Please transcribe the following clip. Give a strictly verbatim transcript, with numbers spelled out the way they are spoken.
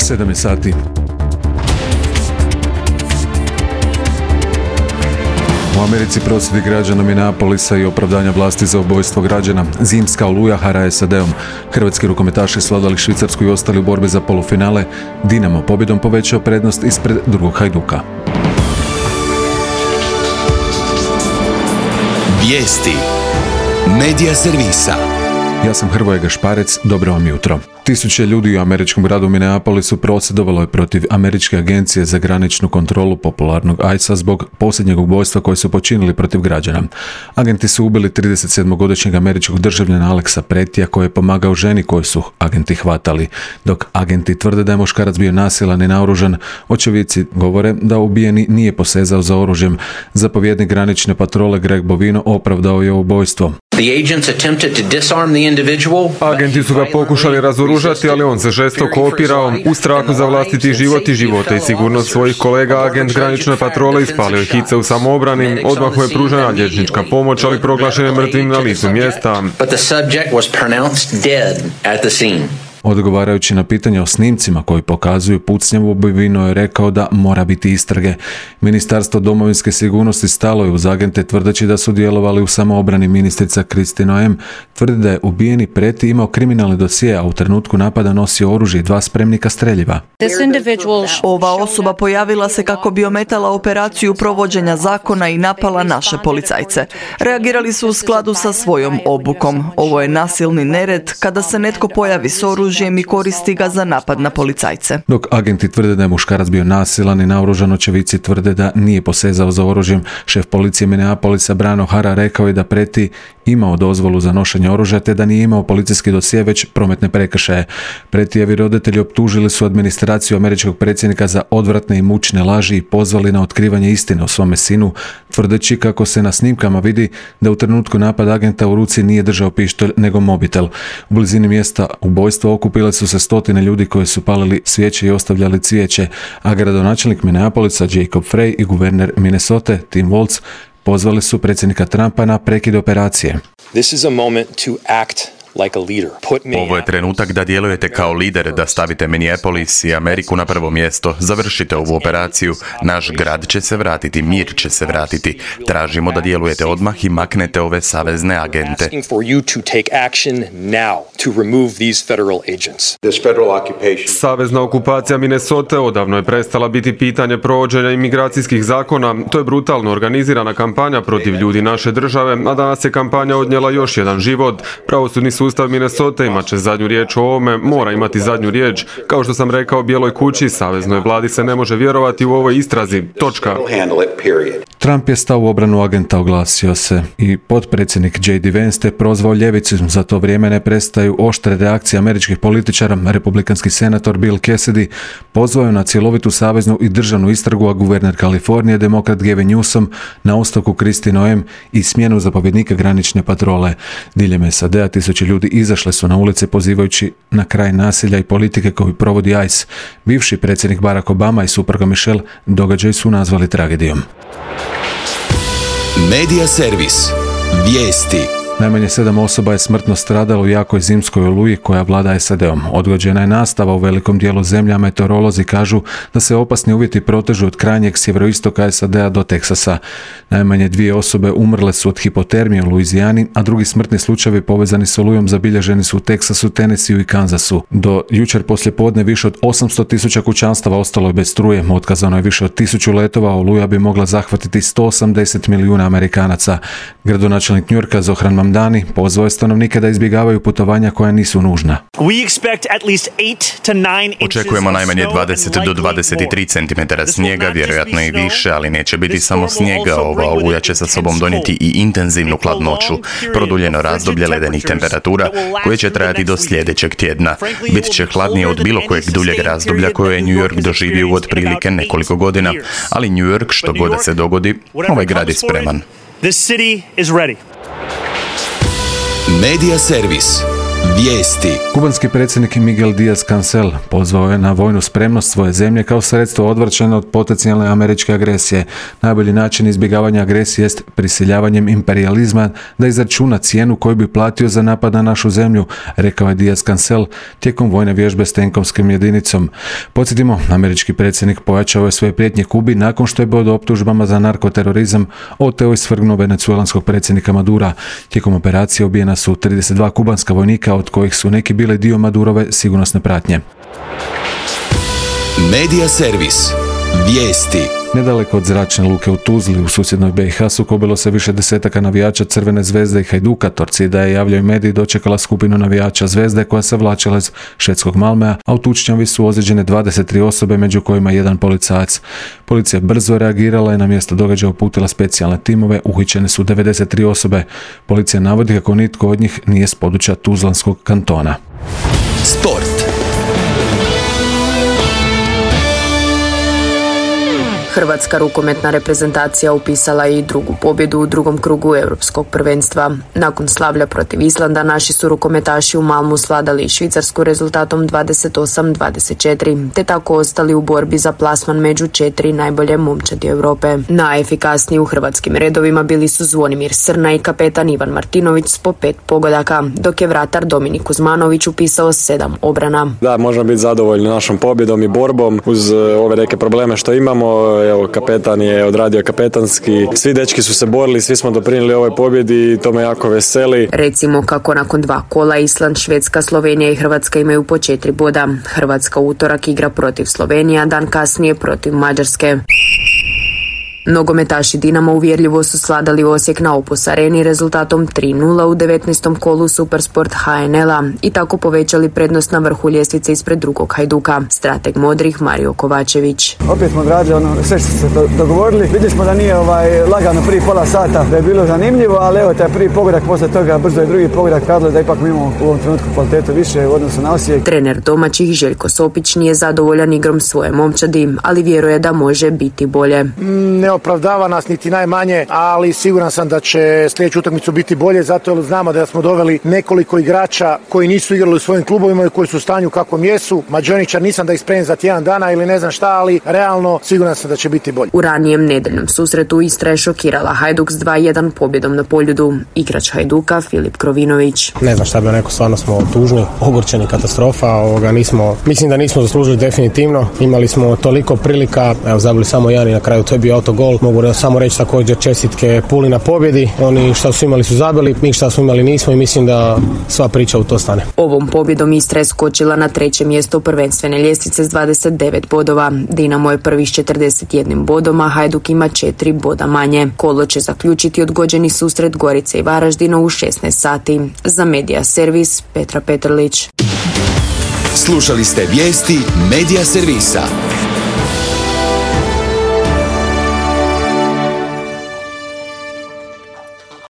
sedam je sati. U Americi prosvjedi građana Minneapolisa i opravdanja vlasti za ubojstvo građana. Zimska oluja hara S A D-om. Hrvatski rukometaši svladali Švicarsku i ostali u borbi za polufinale. Dinamo pobjedom povećao prednost ispred drugog Hajduka. Vijesti Medija servisa. Ja sam Hrvoje Gašparec, dobro vam jutro. Tisuće ljudi u američkom gradu Minneapolisu prosvjedovalo je protiv Američke agencije za graničnu kontrolu popularnog I C E A zbog posljednjeg ubojstva koje su počinili protiv građana. Agenti su ubili tridesetsedmogodišnjeg američkog državljana Alexa Pretija koji je pomagao ženi koju su agenti hvatali. Dok agenti tvrde da je muškarac bio nasilan i naoružan, očevici govore da ubijeni nije posezao za oružjem. Zapovjednik granične patrole Greg Bovino opravdao je ubojstvo. Agenti su ga pokušali razoružati, ali on se žestoko opirao. U strahu za vlastiti život i živote i sigurnost svojih kolega, agent granične patrole ispalio je hice u samoobrani. Odmah mu je pružena liječnička pomoć, ali proglašen je mrtvim na licu mjesta. Odgovarajući na pitanje o snimcima koji pokazuju pucnjavu, Bovino je rekao da mora biti istrage. Ministarstvo domovinske sigurnosti stalo je uz agente tvrdeći da su djelovali u samoobrani. Ministrica Kristi Noem tvrdi da je ubijeni Preti imao kriminalni dosije, a u trenutku napada nosio oružje i dva spremnika streljiva. Ova osoba pojavila se kako bi ometala operaciju provođenja zakona i napala naše policajce. Reagirali su u skladu sa svojom obukom. Ovo je nasilni nered kada se netko pojavi s oružjem i koristi ga za napad na policajce. Dok agenti tvrde da je muškarac bio nasilan i naoružan, očevici tvrde da nije posezao za oružjem. Šef policije Minneapolisa Brano Hara rekao je da Preti imao dozvolu za nošenje oružja te da nije imao policijski dosje već prometne prekršaje. Pretijevi roditelji optužili su administraciju američkog predsjednika za odvratne i mučne laži i pozvali na otkrivanje istine o svome sinu, tvrdeći kako se na snimkama vidi da u trenutku napada agenta u ruci nije držao pištolj nego mobitel. U blizini mjesta ubojstva okupile su se stotine ljudi koji su palili svijeće i ostavljali cvijeće, a gradonačelnik Minneapolisa Jacob Frey i guverner Minnesota Tim Walz pozvali su predsjednika Trumpa na prekid operacije. This is a moment to act like a leader. Put me Ovo je trenutak da djelujete kao lider, da stavite Minneapolis i Ameriku na prvo mjesto. Završite ovu operaciju. Naš grad će se vratiti, mir će se vratiti. Tražimo da djelujete odmah i maknete ove savezne agente. asking for you to take action now to remove these federal agents. Savezna okupacija Minnesota odavno je prestala biti pitanje provođenja imigracijskih zakona. To je brutalno organizirana kampanja protiv ljudi naše države, a danas je kampanja odnijela još jedan život. Pravosudni sustav Minnesota imat će zadnju riječ o ovome, mora imati zadnju riječ. Kao što sam rekao Bijeloj kući, saveznoj vladi se ne može vjerovati u ovoj istrazi. Točka. Trump je stao u obranu agenta, oglasio se i potpredsjednik J D Vance te prozvao ljevicu. Za to vrijeme ne prestaju oštre reakcije američkih političara. Republikanski senator Bill Cassidy pozvao je na cjelovitu saveznu i državnu istragu, a guverner Kalifornije, demokrat Gavin Newsom, na ostavku Kristi Noem i smjenu zapovjednika granične patrole. Diljem S A D-a tisuće ljudi izašle su na ulice pozivajući na kraj nasilja i politike koju provodi I C E A. Bivši predsjednik Barack Obama i supruga Michelle događaj su nazvali tragedijom. Medija servis. Vijesti. Najmanje sedam osoba je smrtno stradalo u jakoj zimskoj oluji koja vlada S A D-om. Odgođena je nastava u velikom dijelu zemlje, a meteorolozi kažu da se opasni uvjeti protežu od krajnjeg sjeveroistoka S A D-a do Teksasa. Najmanje dvije osobe umrle su od hipotermije u Luizijani, a drugi smrtni slučajevi povezani s olujom zabilježeni su u Teksasu, Tennesseeu i Kansasu. Do jučer poslijepodne više od osamsto tisuća kućanstava ostalo je bez struje, otkazano je više od tisuću letova, a oluja bi mogla zahvatiti sto osamdeset milijuna Amerikanaca. Gradonačelnik Njujorka Zohran Dani pozvao je stanovnike da izbjegavaju putovanja koja nisu nužna. Očekujemo najmanje dvadeset do dvadeset tri centimetara snijega, vjerojatno i više, ali neće biti samo snijega. Ova oluja će sa sobom donijeti i intenzivnu hladnoću, produljeno razdoblje ledenih temperatura koje će trajati do sljedećeg tjedna. Bit će hladnije od bilo kojeg duljeg razdoblja koje je New York doživio u otprilike nekoliko godina, ali New York, što god da se dogodi, ovaj grad je spreman. Medija servis. Vijesti. Kubanski predsjednik Miguel Díaz-Cancel pozvao je na vojnu spremnost svoje zemlje kao sredstvo odvraćanja od potencijalne američke agresije. Najbolji način izbjegavanja agresije jest prisiljavanjem imperijalizma da izračuna cijenu koju bi platio za napad na našu zemlju, rekao je Díaz-Cancel tijekom vojne vježbe s tenkovskom jedinicom. Podsjetimo, američki predsjednik pojačao je svoje prijetnje Kubi nakon što je pod optužbama za narkoterorizam oteo i svrgnuo venecuelanskog predsjednika Madura. Tijekom operacije ubijena su trideset dva kubanska vojnika, od kojih su neki bile dio Madurove sigurnosne pratnje. Medija servis. Vijesti. Nedaleko od zračne luke u Tuzli u susjednoj B i H sukobilo se više desetaka navijača Crvene zvezde i Hajduka. Torcida je, javljaju mediji, dočekala skupinu navijača Zvezde koja se vlačila iz švedskog Malmea, a u tučnjavi su ozlijeđene dvadeset tri osobe, među kojima jedan policajac. Policija brzo reagirala i na mjesto događaja uputila specijalne timove, uhićene su devedeset tri osobe. Policija navodi kako nitko od njih nije s područja Tuzlanskog kantona. Sport. Hrvatska rukometna reprezentacija upisala je i drugu pobjedu u drugom krugu europskog prvenstva. Nakon slavlja protiv Islanda, naši su rukometaši u Malmu svladali Švicarsku rezultatom dvadeset osam dvadeset četiri, te tako ostali u borbi za plasman među četiri najbolje momčadi Europe. Najefikasniji u hrvatskim redovima bili su Zvonimir Srna i kapetan Ivan Martinović s po pet pogodaka, dok je vratar Dominik Kuzmanović upisao sedam obrana. Da, možemo biti zadovoljni našom pobjedom i borbom uz ove neke probleme što imamo. Evo, kapetan je odradio kapetanski. Svi dečki su se borili, svi smo doprinijeli ovoj pobjedi i to me jako veseli. Recimo kako nakon dva kola Island, Švedska, Slovenija i Hrvatska imaju po četiri boda. Hrvatska utorak igra protiv Slovenije, a dan kasnije protiv Mađarske. Nogometaši Dinama uvjerljivo su svladali Osijek na Opus Areni rezultatom tri nula u devetnaestom kolu Supersport H N L-a i tako povećali prednost na vrhu ljestvice ispred drugog Hajduka. Strateg modrih Mario Kovačević. Opet smo odradili ono sve što se dogovorili. Vidjeli smo da nije ovaj, lagano prvi pola sata, da je bilo zanimljivo, ali evo taj prvi pogodak, posle toga brzo je drugi pogodak kadlo da ipak mi imamo u ovom trenutku kvalitetu više u odnosu na Osijek. Trener domaćih Željko Sopić nije zadovoljan igrom svoje momčadi, ali vjeruje da može biti bolje. Ne opravdava nas niti najmanje, ali siguran sam da će sljedeću utakmicu biti bolje, zato jer znamo da smo doveli nekoliko igrača koji nisu igrali u svojim klubovima i koji su u stanju kakvom jesu. Mađoničar nisam da ih spremim za tjedan dana ili ne znam šta, ali realno siguran sam da će biti bolje. U ranijem nedeljnom susretu Istra je šokirala Hajduk s dva jedan pobjedom na Poljudu. Igrač Hajduka Filip Krovinović. Ne znam šta bi rekao, stvarno smo tužni, ogorčeni, katastrofa. Ovoga, nismo, mislim da nismo zaslužili definitivno. Imali smo toliko prilika, evo zabili samo jedan i na kraju to je bio autogol. Mogu samo reći također čestitke Puli na pobjedi. Oni što su imali su zabili, mi što smo imali nismo i mislim da sva priča u to stane. Ovom pobjedom Istra je skočila na treće mjesto prvenstvene ljestvice s dvadeset devet bodova. Dinamo je prvi s četrdeset jedan bodom, a Hajduk ima četiri boda manje. Kolo će zaključiti odgođeni susret Gorice i Varaždina u šesnaest sati. Za Medija servis Petra Petrlić. Slušali ste vijesti Medija servisa.